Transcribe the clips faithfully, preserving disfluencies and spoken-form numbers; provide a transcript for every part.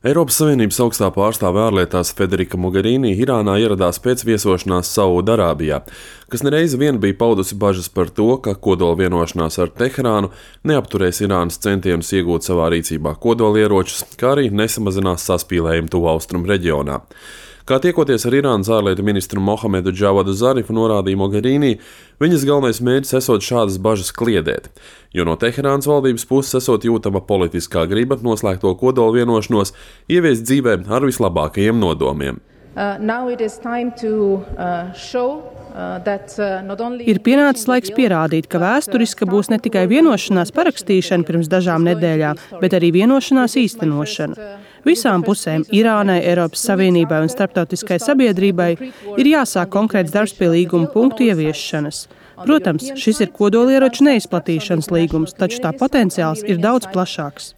Eiropas Savienības augstā pārstāve ārlietās Federica Mogherini Irānā ieradās pēc viesošanās Saūdarābijā, kas nereizi vien bija paudusi bažas par to, ka kodola vienošanās ar Teherānu neapturēs Irānas centienus iegūt savā rīcībā kodolieročus, kā arī nesamazinās saspīlējumu tuvu austrumu reģionā. Kā tiekoties ar Irānas ārlietu ministru Mohamedu Džavadu Zarifu, norādīja Mogherini, viņas galvenais mērķis esot šādas bažas kliedēt, jo no Teherānas valdības puses esot jūtama politiskā griba noslēgto kodola vienošanos ieviest dzīvē ar vislabākajiem nodomiem. Uh, now it is time to uh, show Ir pienācis laiks pierādīt, ka vēsturiska būs ne tikai vienošanās parakstīšana pirms dažām nedēļām, bet arī vienošanās īstenošana. Visām pusēm – Irānai, Eiropas Savienībai un starptautiskai sabiedrībai – ir jāsāk konkrēts darbs pie līguma punktu ieviešanas. Protams, šis ir kodolieroču neizplatīšanas līgums, taču tā potenciāls ir daudz plašāks.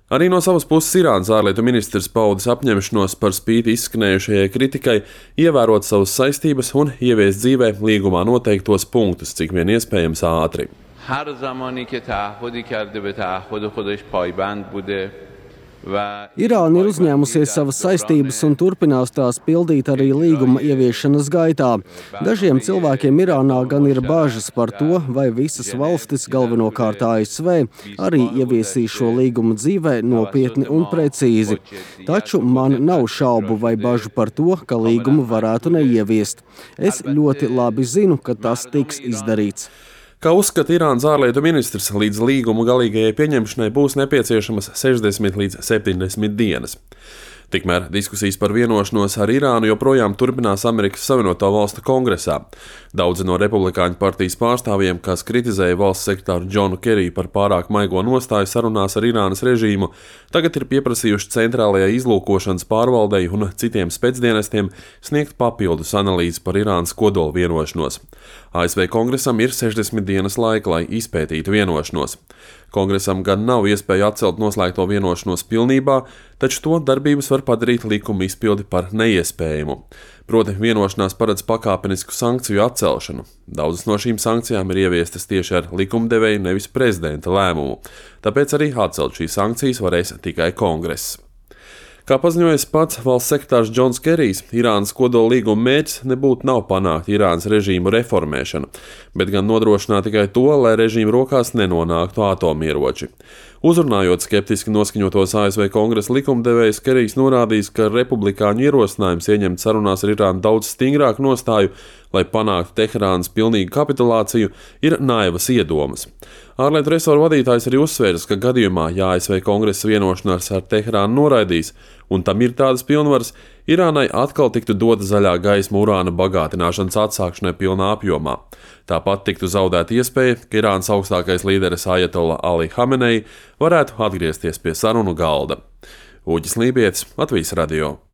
Arī no savas puses Irānas ārlietu ministrs paudis apņemšanos par spīti izskanējušajai kritikai ievērot savas saistības un ieviest dzīvē līgumā noteiktos punktus, cik vien iespējams ātri. Irāna ir uzņēmusies savas saistības un turpinās tās pildīt arī līguma ieviešanas gaitā. Dažiem cilvēkiem Irānā gan ir bažas par to, vai visas valstis, galvenokārt A S V, arī ieviesīs šo līgumu dzīvē nopietni un precīzi. Taču man nav šaubu vai bažu par to, ka līgumu varētu neieviest. Es ļoti labi zinu, ka tas tiks izdarīts. Kā uzskata Irānas ārlietu ministrs, līdz līguma galīgajai pieņemšanai būs nepieciešamas sešdesmit līdz septiņdesmit dienas. Tikmēr diskusijas par vienošanos ar Irānu joprojām turpinās Amerikas Savienoto Valstu kongresā. Daudzi no republikāņu partijas pārstāvjiem, kas kritizēja valsts sekretāru Džonu Keriju par pārāk maigo nostāju sarunās ar Irānas režīmu, tagad ir pieprasījuši centrālajai izlūkošanas pārvaldei un citiem spēcdienestiem sniegt papildus analīzi par Irānas kodola vienošanos. A S V kongresam ir sešdesmit dienas laika, lai izpētītu vienošanos. Kongresam gan nav iespēja atcelt noslēgto vienošanos pilnībā, taču to darbības var padarīt likuma izpildi par neiespējamu. Proti vienošanās paredz pakāpenisku sankciju atcelšanu. Daudzas no šīm sankcijām ir ieviestas tieši ar likumdevēju, nevis prezidenta lēmumu. Tāpēc arī atcelt šīs sankcijas varēs tikai kongress. Kā paziņojis pats valsts sekretārs Džons Kerijs, Irānas kodola līguma mērķis nebūtu nav panākt Irānas režīmu reformēšanu, bet gan nodrošināt tikai to, lai režīmu rokās nenonāktu atomieroči. Uzrunājot skeptiski noskaņotos A S V kongresa likumdevējus, Kerijs norādījis, ka republikāņu ierosinājums ieņemt sarunās ar Irānu daudz stingrāku nostāju, lai panāktu Teherānas pilnīgu kapitulāciju, ir naivas iedomas. Ārlietu resoru vadītājs arī uzsvērs, ka gadījumā, ja A S V kongresa vienošanās ar Teherānu noraidīs, un tam ir tādas pilnvaras, Irānai atkal tiktu dota zaļā gaisma urāna bagātināšanas atsākšanai pilnā apjomā. Tāpat tiktu zaudēta iespēja, ka Irānas augstākais līderis Ajatolla Ali Hamenei varētu atgriezties pie sarunu galda. Uģis Lībietis, Latvijas radio.